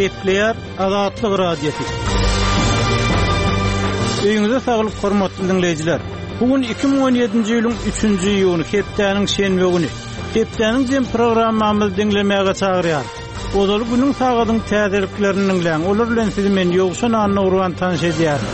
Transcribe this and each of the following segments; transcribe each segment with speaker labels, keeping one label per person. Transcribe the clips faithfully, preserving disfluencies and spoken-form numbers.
Speaker 1: Gepleýär Azatlyk Radiosy. Öýüňize saglyk hormatly diňleýjiler. Bu gün iki müň on ýedinji ýylyň üçünji iýuny, hepdäniň şenbe güni. Hepdäniň jem programmamyzy diňlemäge çagyrýar. Ozaly günüň sagadyň täzeliklerini diňläň. Olar bilen sizi men Ýowşan Annagurban tanyş edýärin.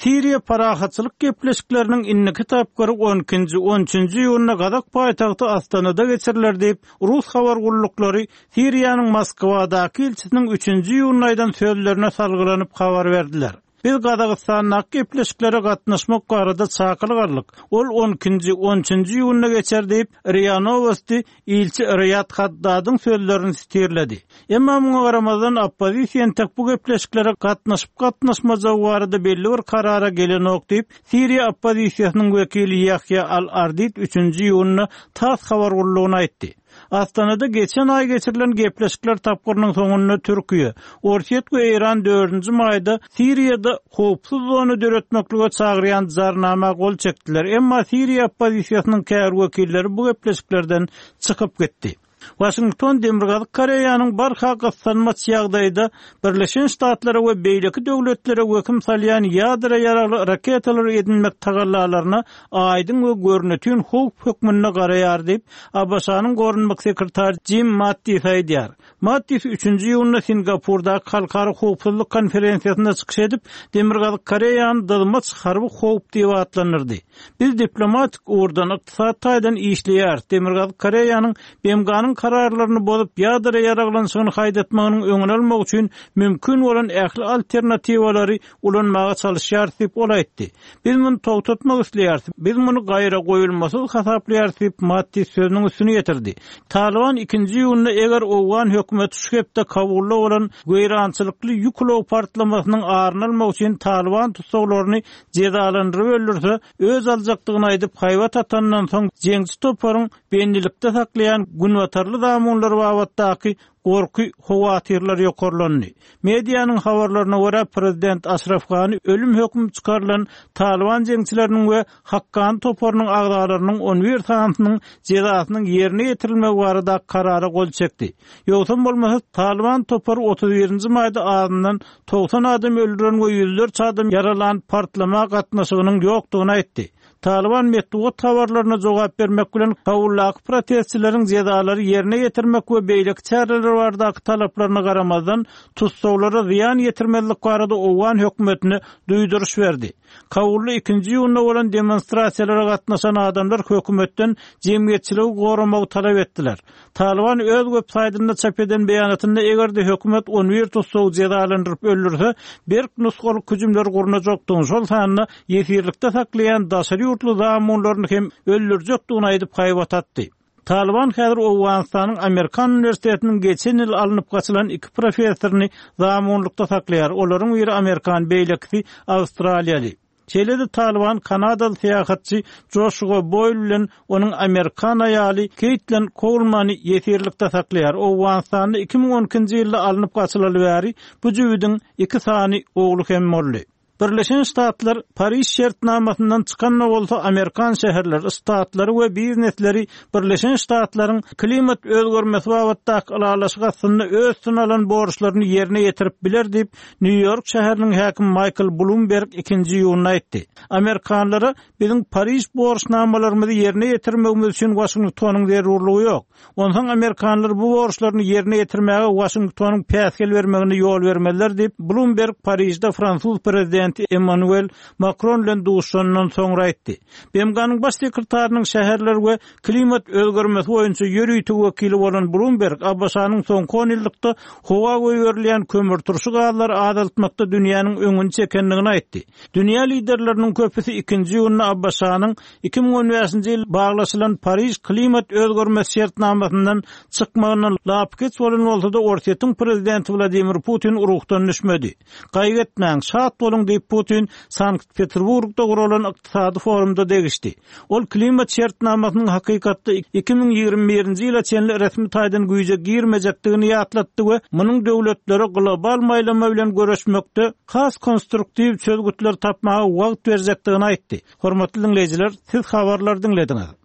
Speaker 1: Siriýa parahatçylyk gepleşikleriniň indiki tapgyry on ikinji, on üçünji iýunda Gazak paýtagty Astanada geçiriler diýip, rus habar gulluklary Siriýanyň Moskwadaky ilçisiniň üçünji iýunda aýdan sözlerine salgylanyp habar berdiler. Biz Gazagystandaky gepleşiklere gatnaşmak barada çakylyk aldyk. Ol on ikinji, on üçünji iýunda geçer diýip, R I A Novosti ilçi Riýad Haddadyň sözlerini sitirledi. Emma muňa garamazdan oppozisiýa entek bu gepleşiklere gatnaşyp gatnaşmajagy barada belli bir karara gelenok diýip, Siriýa oppozisiýasynyň wekili Ýahýa Al-Ardit üçünji iýunda TASS habar gullugyna aýtdy. Astanada geçen aý geçirilen gepleşikler tapgyrynyň soňunda Türkiýe, Orsýet we Eýran dördünji maýda Siriýada howpsuz zona döretmeklige çagyrýan jarnama gol çekdiler. Emma Siriýa oppozisiýasynyň käbir wekilleri bu gepleşiklerden çykyp gitdi. Washington Demirgazyk Koreýanyň barha gyssanmaç ýagdaýda Birleşen Ştatlara we beýleki döwletlere wehim salýan ýadro ýaragly raketalary edinmek tagallalaryna aýdyň we görnütün howp hökmünde garaýar diýip, A B Ş-nyň goranmak sekretary Jim Mattis aýdýar. Mattis üçünji iýunda Singapurdaky halkara howpsuzlyk konferensiýasynda çykyş edip, Demirgazyk Koreýany dyzmaç harby howp diýip atlandyrdy. Biz diplomatik ugurdan ykdysady taýdan işleýäris. Demirgazyk Koreýanyň B M G-nyň kararlaryny bozup ýadro ýaraglanşygyny haýdatmagynyň öňüni almak üçin mümkin bolan ähli alternatiwalary ulanmaga çalyşýarys diýip ol aýtdy. Biz muny togtatmak isleýäris. Biz muny gaýra goýulmasyz hasaplaýarys diýip Mattis sözüniň üstüni getirdi. Taliban ikinji iýunda eger Owgan hökümeti şu hepde Kabulda bolan weýrançylykly ýük ulag partlamasynyň aryny almak üçin Taliban tussaglaryny jezalandyryp öldürse, öz aljakdygyny aýdyp haýbat atandan soň jeňçi toparyň bendilikde saklaýan günbatarly zamunlar babatdaky gorky howatyrlar ýokarlandy. Medianyň habarlaryna görä prezident Aşraf Gani ölüm hökümi çykarylan Taliban jeňçileriniň we Hakkani toparynyň agzalarynyň on bir sanysynyň jezasynyň ýerine ýetirilmegi barada karara gol çekdi. Ýogsam bolmasa Taliban topary otuz birinji maýda azyndan togsan adam öldüren we ýüzlerçe adam ýaralan partlama gatnaşygynyň ýokdugyny aýtdy. Taliban metbugat habarlaryna jogap bermek bilen Kabuldaky protestçileriň jezalary ýerine ýetirmek we beýleki çäreler baradaky talaplaryna garamazdan tussaglara zyýan ýetirmezlik barada Owgan hökümetine duýduryş berdi. Kabulda ikinji iýunda bolan demonstrasiýalara gatnaşan adamlar hökümetden jemgyýetçiligi goramagy talap etdiler. Taliban öz web saýtynda çap eden beýanatynda eger-de hökümet on bir tussagy jezalandyryp öldürse, berk nusgalyk hüjümler gurnajakdygyny, şol sanda ýesirlikde saklaýan daşary ýurtly zamunlaryny hem öldürjekdigini aýdyp haýbat atdy. Taliban häzir Owganystanyň Amerikan uniwersitetiniň geçen ýyl alnyp gaçylan iki professoryny zamunlykda saklaýar. Olaryň biri Amerikan, beýlekisi Awstraliýaly. Şeýle-de Taliban Kanadaly syýahatçy Joshua Boyle bilen onuň Amerikan aýaly Caitlin Coleman'y ýesirlikde saklaýar. Owganystanda iki müň on ikinji ýylda alnyp gaçylaly bäri bu jübüdiň iki sany ogly hem boldy. Birleşen Ştatlar Pariž şertnamasyndan çykan bolsa Amerikan şäherleri, ştatlary we biznesleri Birleşen Ştatlaryň klimat özgermesi babatdaky ylalaşyk astynda öz üstüne alan borçlaryny ýerine ýetirip biler diýip Nýu-Ýork şäheriniň häkimi Michael Bloomberg ikinji iýunda aýtdy. Amerikanlara biziň Pariž borçnamalarymyzy ýerine ýetirmegimiz üçin Washingtonyň zerurlygy ýok. Onsoň Amerikanlar bu borçlaryny ýerine ýetirmäge Washingtonyň päsgel bermegine ýol bermezler diýip Bloomberg Parižde fransuz prezidenti Emmanuel Macron bilen duşandan soňra aýtdy. B M G-nyň baş sekretarynyň şäherler we klimat özgermesi boýunça ýörite wekili bolan Bloomberg A B Ş-nyň soňky on ýyllykda howa goýberilýän kömürturşy gazlary azaltmakda dünýäniň öňüni çekendigini aýtdy. Dünýä liderleriniň köpüsi ikinji iýunda A B Ş-nyň iki müň on bäşinji ýyl baglaşylan Pariž klimat özgermesi şertnamasyndan çykmagyndan lapykeç bolan bolsa-da Orsýetiň prezidenti Wladimir Putin ruhdan düşmedi. Gaýgy etmäň, şat boluň diýip Putin Sankt-Peterburgda guralan ykdysady forumda degişdi. Ol klimat şertnamasynyň hakykatda iki müň ýigrimi birinji ýyla çenli resmi taýdan güýje girmejekdigini ýatlatdy we munuň döwletlere global maýlama bilen görüşmekde has konstruktiw çözgütler tapmaga wagt berjekdigini aýtdy. Hormatly diňleýjiler, siz habarlar diňlediňiz.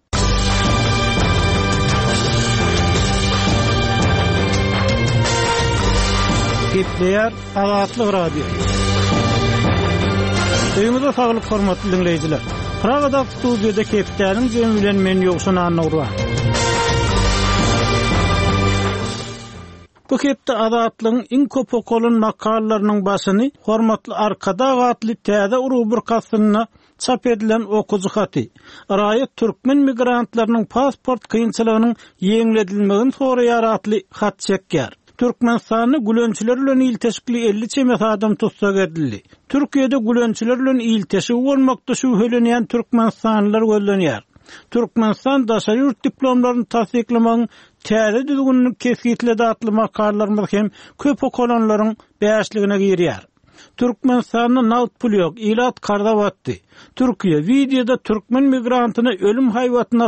Speaker 1: Gepleýär Azatlyk Radiosy. Öýüňize saglyk hormatly diňleýjiler. Pragadaky studiýada hepdäniň jemi bilen men Ýowşan Annagurban. Bu hepde Azatlygyň iň köp okalan makalalarynyň başyny Hormatly Arkadag atly täze rubrika astynda çap edilen okyjy haty, Raýat türkmen migrantlarynyň pasport kynçylygynyň ýeňledilmegini soraýar atly hat çekýär. Türkmenistanda gülençiler bilen ilteşikli elli çemesi adam tussag edildi. Türkiýede gülençiler bilen ilteşigi bolmakda şübhelenýän türkmenistanlylar gözlenýär. Türkmenistan daşary ýurt diplomlaryny tassyklamagyň täze düzgünini kesgitledi atly makalalarymyz hem köp okalanlaryň bäşligine girýär. Türkmenistanda nagt pul ýok, ilat karza batdy. Türkiýe wideoda türkmen migrantyna ölüm haýbatyny